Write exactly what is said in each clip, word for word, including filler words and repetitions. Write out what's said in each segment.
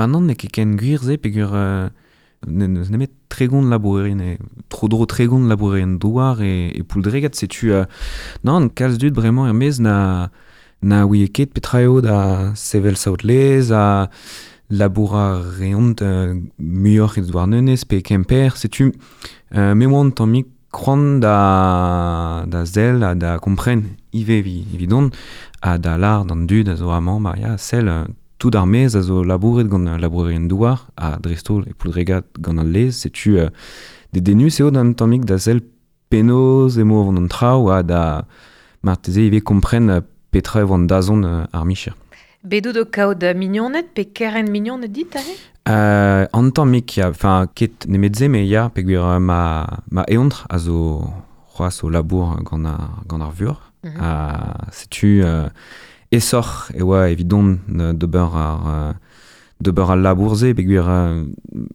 Maintenant n'eo ket ken gwir se peogwir euh, n'eus nemet tregont labourerien e tro-dro tregont labourerien douar e, e Pouldregad setu euh, nann kalz dud bremañ er-maez na na ouie ket petra eo da sevel saout-lez ha labour a reont euh, muioc'h e Douarnenez pe Kemper setu euh, me oan tammig c'hoant da da sell ha da kompren ivez evi, evidon ha da lar d'an dud a zo amañ ma ya sell tout ar maez a zo labouret gant labourerien douar ha dreist-holl e Pouldregad gant al lez setu euh, dedennus eo d'an tammig da sell penaos emañ o vont an traoù ha da marteze ivez kompren petra e vo an dazont ar micher. Bet out o kaout mignoned pe kerent mignoned dit aze? Euh, an tammig ya, enfin ket nemet se me ya peogwir ma, ma eontr a zo c'hoazh o labour gant ar, gant ar vuoc'h. Mm -hmm. Ha setu euh, aesoc'h e oa evidon d'ober ar d'ober al labour-se peogwir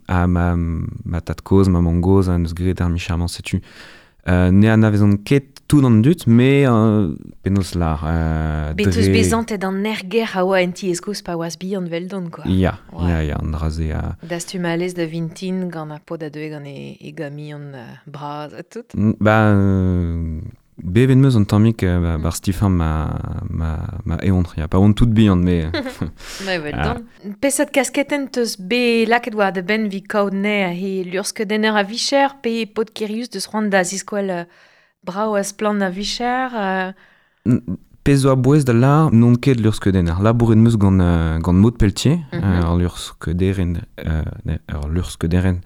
ha ma, ma tad-kozh, ma mamm-gozh an eus graet ar micher-mañ setu. Euh, ne anavezont ket tout an dud, mais euh, penaos lar. Euh, Bet eus bezantet an erger a oa en ti eskoz pa oaz bihan veldon, quoi. Ya, ouais. ya, ya, an dra-se. Uh... Dastum a lez da vintin gant ar pod a deue gant e, e gamion uh, bras ha tout. Ba, euh, bevet meus an tammig euh, ba, bar stifan ma, ma, ma eontr, ya, pa on tout bihan, mais... Ma veldon. Ah. Pesat kasketenn teus be lakaet war da benn vi kaout ne he luc'hskeudenner a vicher pe pod kirius deus c'hoant da ziskoal uh, brao a splann a vicher euh... Pezh zo a-bouez da lar n'on ket luc'hskeudenner. Labouret meus gant, euh, gant Maud Pelletier, mm -hmm. euh, ur luc'hskeudenner euh, ur luc'hskeudenner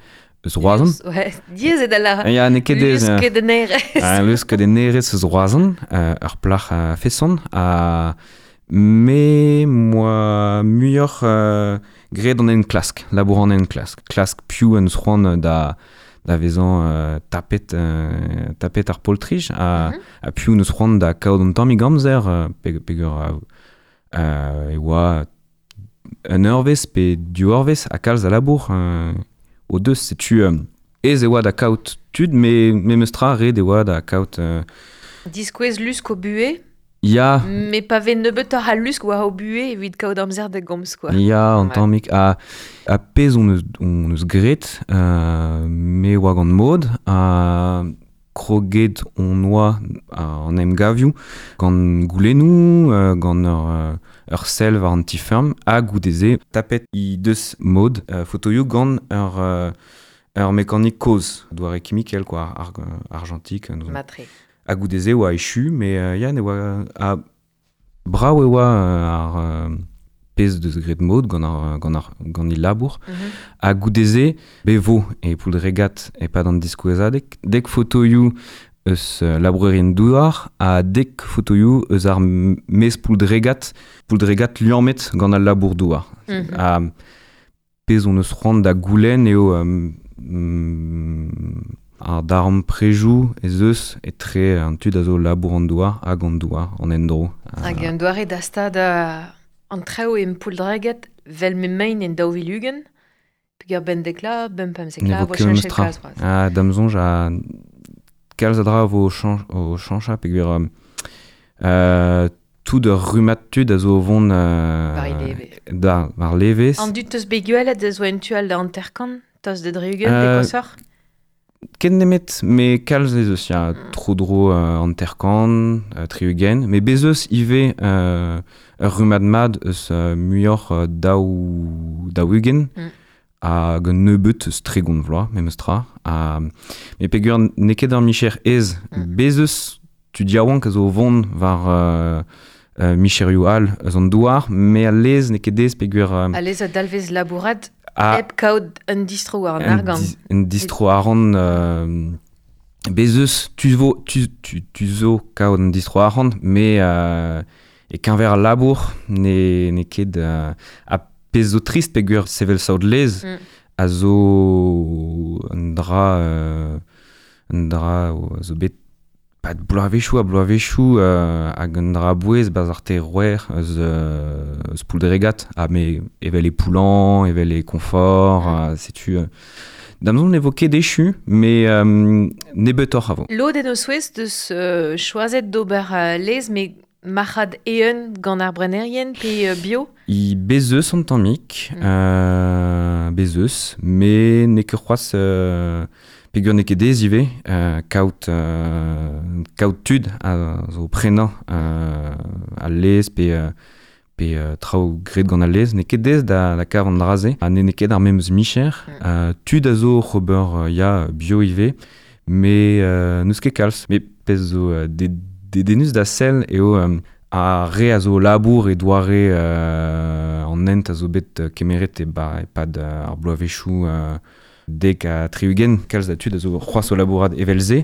eus Roazhon. Ouais, diaes eo da lar. Ya, n'eo ket aes. Luc'hskeudennerez. Uh, luc'hskeudennerez eus Roazhon, euh, ur plac'h a feson, ha me moa muioc'h euh, graet an enklask, labour an enklask. Klask piv en eus c'hoant da da vezañ euh, tapet, euh, tapet ar poltrij, ha, mm -hmm. ha piv neus c'hoant da kaout an tammig amzer, euh, pe, peogwir euh, e oa un eurvezh pe div eurvezh ha kalz a labour euh, o deus, setu euh, aes e oa da kaout tud, me memes tra ret e oa da kaout... Euh, Diskouez lusk o buhez? Ya. Mais pa vez nebeutoc'h a lusk war o buhez evit kaout amzer da gomz, quoi. Ya, an tammig. Ha, ha pezh on eus, on eus graet, euh, me oa gant Maud, ha kroget on oa an emgavioù gant goulennoù, euh, gant ur, ur sell war an ti-feurm, ha goude-se tapet he deus Maud euh, fotoioù gant ur, euh, ur mekanik kozh, doare kimikel, quoi, ar, argentik. Matre. Ha goude-se oa echu, mais euh, ya ne oa a brav e oa ar euh, pezh deus graet Maud gant ar, gant ar, gant il labour. Mm -hmm. Ha goude-se be vo e Pouldregad e-pad an diskouezadeg, dek fotoioù eus labourerien douar ha dek fotoioù eus ar maez Pouldregad, Pouldregad liammet gant al labour douar. Mm -hmm. Ha pezh on eus c'hoant da goulenn eo euh, mm, ar darempredoù ez eus etre an tud a zo labour an douar hag an douar, an endro. Hag un doare da stad an traoù en Pouldregad vel m'emaint en daou vil ugent, peogwir ben dekla, ben pemzekla, vo cheñchet kalz c'hoazh. Ah, da'm soñj a kalz a dra vo o chañchañ peogwir euh, tout ur rummad tud a zo o vont euh, war leve. Da, war levez. An dud teus bet gwelet a zo en tu all da hanter-kant, tost da dri-ugent, pe koshoc'h? Ken nemet, me kalz ez eus, ya, mm. tro-dro euh, hanter-kant, euh, tri-ugent, mais bez eus ivez euh, ur rummad mat eus euh, muioc'h euh, daou, daou-ugent, mm. hag un nebeut eus tregont vloaz, memes tra. Ha, mais peogwir n'eo ket ur micher aes, mm. bez eus tud yaouank a zo o vont war euh, euh, micherioù all eus an douar, mais al lez n'eo ket aes peogwir... Euh, al lez a dalvez labourat hep kaout un distro war an argant. Di, un distro arc'hant, euh, bez eus, tu vo, tu, tu, tu zo kaout un distro arc'hant, mais euh, e keñver al labour ne, ne ket euh, a pezh zo trist peogwir sevel saout lez mm. a zo un dra, euh, un dra a zo bet pad bloavezhioù ha bloavezhioù euh, hag un dra a-bouez barzh ar terouer eus, euh, eus Pouldregad, ha me evel e Poullan, evel e Confort, mm. setu... Euh, da'm soñj ne vo ket echu, mais euh, nebeutoc'h a vo. Lod en o souezh deus euh, choazet d'ober euh, lez, mais marc'had eeun gant ar brenerien pe euh, bio? I bezeus an tammik, mm. euh, bezeus, me n'eo ket c'hoazh euh, peogwir n'eo ket dez ivez, euh, kaout, euh, kaout tud a zo prenañ euh, al lez pe, euh, pe euh, traoù graet gant al lez, n'eo ket dez da, da kav an dra-se, ha n'eo ket ar memes micher. Mm. Euh, tud a zo oc'h ober euh, ya bio ivez, me euh, n'eus ket kalz, me pezh zo euh, de, de denus da sell eo euh, a re a zo labour e doare euh, an hent a zo bet kemeret e ba e-pad ar bloavezhioù euh, dek ha tri-ugent, kalz da tud a zo c'hoazh o labourat evel-se,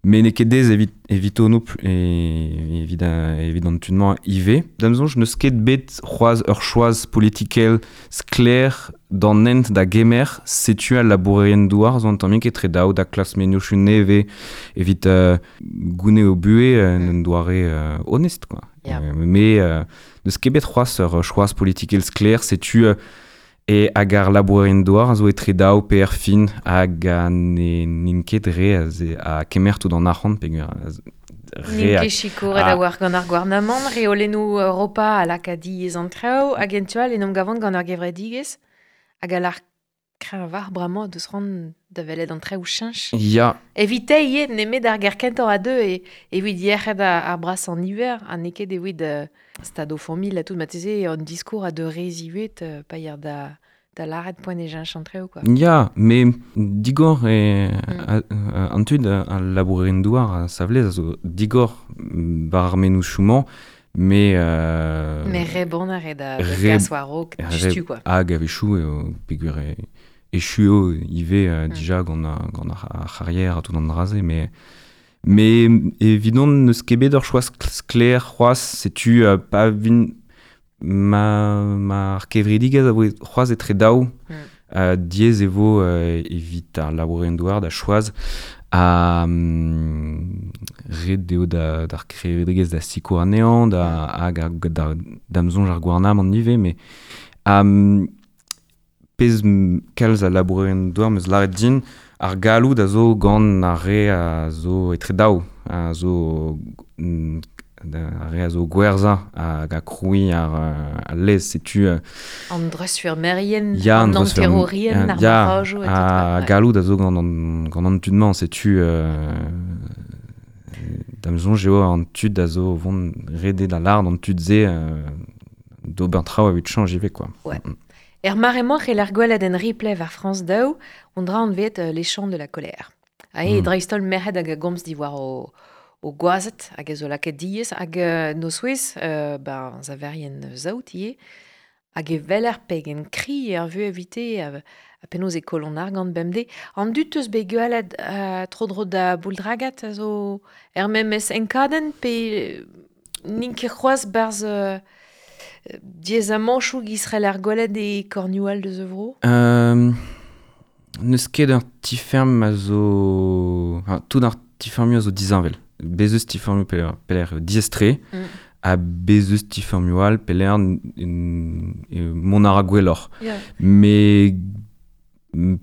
me n'eo ket dez evit, evito no e, evit, evit an tud-mañ ivez. Da'm soñj n'eus ket bet c'hoazh ur choaz politikel sklaer d'an hent da gemer, setu al labourerien douar zo an tammik etre daou da klas mennozhioù nevez evit euh, gounez o buhez en un doare euh, honest quoi. Yeah. Euh, mais euh, n'eus ket bet c'hoazh ur choaz politikel sklaer, setu euh, e hag ar labourerien douar a zo etre daou pe er fin hag a ne n'int ket re a, ze, a kemer tout an arc'hant peogwir re N'int ket sikouret a war gant ar gouarnamant, reolennoù Europa a laka diaes an traoù, hag en tu all en emgavont gant ar gevredigezh hag a lar kreñv bremañ deus ran da welet an traoù cheñch. Ya. Evite ivez nemet ar ger kentañ a deux e evit yec'hed ar bras an hiver, ha n'eo ket evit euh, stad o familh ha tout marteze an discours a de re ziwet euh, pa yer da da lâret poent e cheñch an traoù quoi. Ya, me digor e mm. an tud al labourerien douar a savlez a zo digor war ar mennozhioù-mañ, mais euh, mais re bon ar da gas war-raok dustu quoi. Hag a-wechoù eo peogwir e echu eo ivez euh, mm. dija gant gant ar c'harrier ha tout an dra-se, mais mais evidon n'eus ket bet ur choaz sklaer c'hoazh, setu euh, pa vin ma ma ar kevredigezh a vo c'hoazh etre daou mm. euh, diaes e vo euh, evit ar labourerien douar da choaz a um, ret eo da d'ar kevredigezh da sikour anezhañ da hag ar da da'm soñj ar gouarnamant ivez, mais um, pezh kalz a labourerien douar meus lâret din ar galloud a zo gant ar re a zo etre daou, a zo ar re a zo gwerzhañ hag a krouiñ ar al lez, setu an dreuzfurmerien, an anterorien, ar barrajoù et tout. A galloud a zo gant an, gant an tud-mañ, setu euh, da'm soñj eo an tud a zo vont rede da lâr d'an tud-se euh, d'ober traoù evit chañj ivez quoi. Ouais. Mm. Er mare-mañ c'hell ar gwelet en replay war France daou, on dra anvet euh, les chants de la colère. Ha e mm. dreist-holl merc'hed hag a gomz diwar o, o gwazed hag a zo lakaet diaes hag euh, no souezh euh, ben saverien saout ivez hag e weler pegen kri er vu evite a, a penaos e koll an argant bemdez. An dud eus bet gwelet euh, tro-dro da Bouldragat a zo er memes enkadenn pe n'int ket c'hoazh barzh euh, diaezamanchoù giz ar gwelet e kornioù deus vro? Euh, n'eus ket ur ti-ferm a zo... Enfin, tout ar ti-fermioù a zo disheñvel. Bez eus ti-fermioù peler, peler diaes-tre, mm. ha bez eus ti-fermioù all peler mont a ra gwelloc'h. Yeah. Mais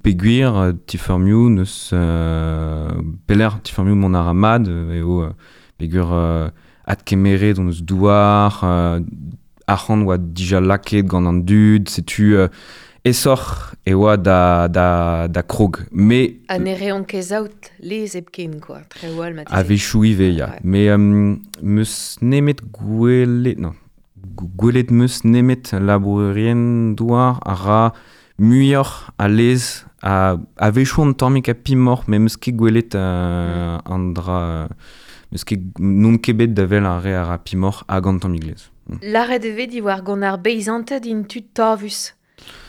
peogwir ti-fermioù n'eus... Euh, peler ti-fermioù mont a ra mat, eo peogwir euh, adkemeret hon eus douar, euh, arc'hant oa dija lakaet gant an dud, setu euh, esoc'h e oa da, da, da krog. Mais ha ne reont ket saout lez hepken quoi, traoù all marteze. A-wechoù ivez, ya. Ouais. Mais euh, meus nemet gwelet... Non, gwelet meus nemet labourerien douar a ra muioc'h a lez a, a-wechoù an tammik a pimoc'h, mais meus ket gwelet euh, mm. an dra... Meus ket n'on ket bet da wel ar re a ra pimoc'h hag an tammik lez. Lâret e vez diwar gant ar beizanted int tud tavus.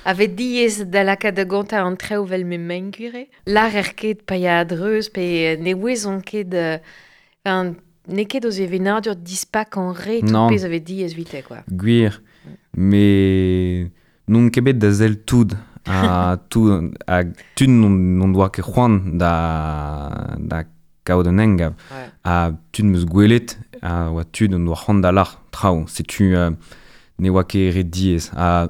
A vez diaes da lakaat da gontañ an traoù vel m'emaint gwir. Lârer ket pa ya a-dreuz pe ne ouezont ket... Enfin, n'eo ket o sevenadur dispak an re tout pezh a vez diaes evite quoi. Gwir, mais n'on ket bet da sell tout a tout a tud n'on doa ket c'hoant da da kaout un engav. Ouais. A tud meus gwelet a oa tud on doa c'hoant da lâr traoù. Setu euh, ne oa ket re diaes. Ha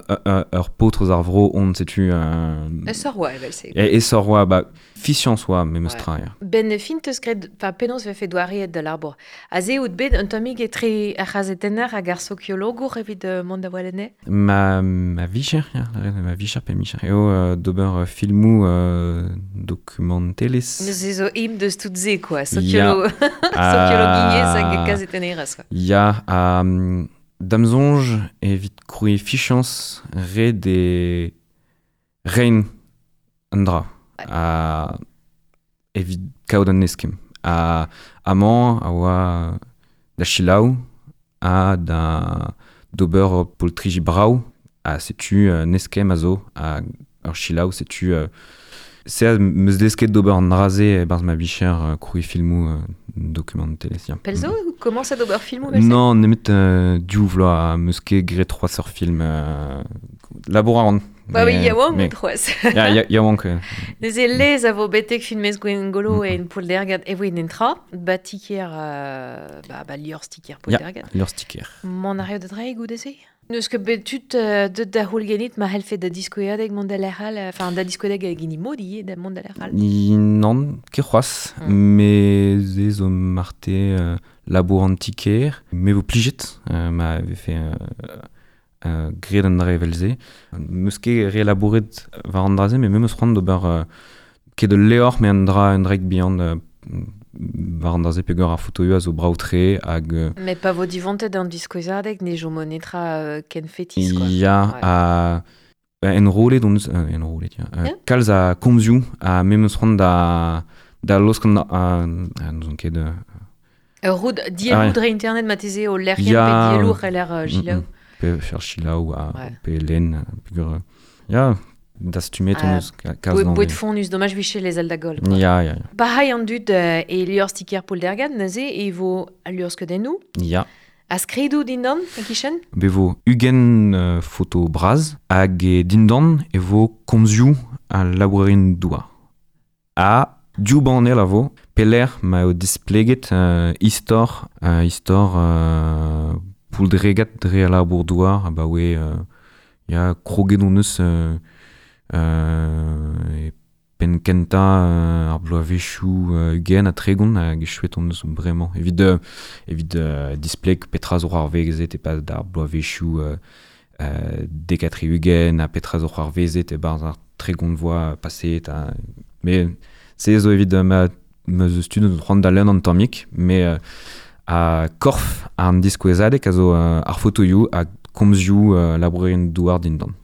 ur paotr eus ar vro on, setu... Euh, Esor oa, evel-se. E, esor oa, ba, fiziañs oa memes tra, ya. Ben fin teus graet, fa penaos vefe doareet da labour. Aze out bet un tammig etre ar c'hazetenner hag ar sokiologour evit uh, mont da walene? Ma, ma vicher, ya, ma vicher pe micher. Eo euh, d'ober euh, filmou euh, dokumentelez. Neuze zo im deus tout ze, quoi. Sokiolo... Sokiologiezh hag kazetennerez, quoi. Ya, um, Damzonj evit krouiñ fichañs ret e rein an dra. A evit kaout an eskemm. A amañ a oa da selaou ha da d'ober poltriji brav ha setu un eskemm a zo ha ur selaou setu euh, se a meus desket d'ober an dra-se e-barzh ma vicher euh, krouiñ filmoù euh, dokumentelezh. Ya. Pell zo mm. Komañset d'ober filmoù vel-se? Non, nemet euh, div vloaz meus ket graet c'hoazh ur film euh, labour a ran. Ba oui, yaouank out c'hoazh. Ya, ya, yaouank. Neuze lez a vo betek filmez Gwengolo mm. e en Pouldergad e voe en tra, ba tiker, euh, ba, ba liorzh tiker Pouldergad. Ya, liorzh tiker. Mont a reot da dreiñ goude-se? N'eus ket bet tud euh, deut da c'houl ganit ma c'hellfe da diskouezadeg mont da lec'h all, enfin da diskouezadeg hag hini mod ivez da mont da lec'h all. Nann, ket c'hoazh, mm. me ze zo marte euh, labour an tiker, me vo plijet, euh, ma vefe euh, euh, graet an dra evel-se. Meus ket re labouret war an dra-se, met me meus c'hoant d'ober euh, ket ul levr, met an dra un draig bihan euh, war an dra-se peogwir ar fotoioù a zo brav-tre hag... Euh, met pa vo divontet an diskouezadeg ne chomo netra euh, ken fetis, quoi. Ya, ha... Enrollet on eus... Euh, enrollet, ya. Euh, yeah. Kalz a komzioù ha me meus c'hoant da, da laosk an... A, n'ouzon ket... Euh, Ur roud dielloù dre internet marteze o lec'hienn pe dielloù c'heller uh, selaou. Mm, mm. Pe fer selaou ha ouais. Pe lenn. Peogwir... Ya, dastumet on eus kalz d'an... Boued fonnus, domaj viche les al da goll. Ya, ya, ya. Pareil an dud euh, e liorzh tiker Pouldergad, neuze e vo al liorzh skeudennoù. Ya. A skridoù dindan, e-kichen? Be vo ugent euh, foto braz, hag e dindan e vo komzioù al labourerien douar. Ha div banell a vo, pelec'h ma eo displeget euh, istor, euh, istor euh, Pouldregad dre al labour douar, abaoe euh, ya kroget on eus euh, euh, e penn kentañ euh, ar bloavezhioù euh, ugent ha tregont hag echuet on eus bremañ. Evit, euh, evit euh, displeg petra zo c'hoarvezet e-pad ar bloavezhioù euh, euh, dek ha tri-ugent ha petra zo c'hoarvezet e-barzh ar tregont vloaz paseet. Ha, met se zo evit euh, ma ma eus tud c'hoant da lenn an tammig, met euh, a korf an diskouezadeg a zo euh, ar fotoioù ha komzioù euh, labourerien douar dindan.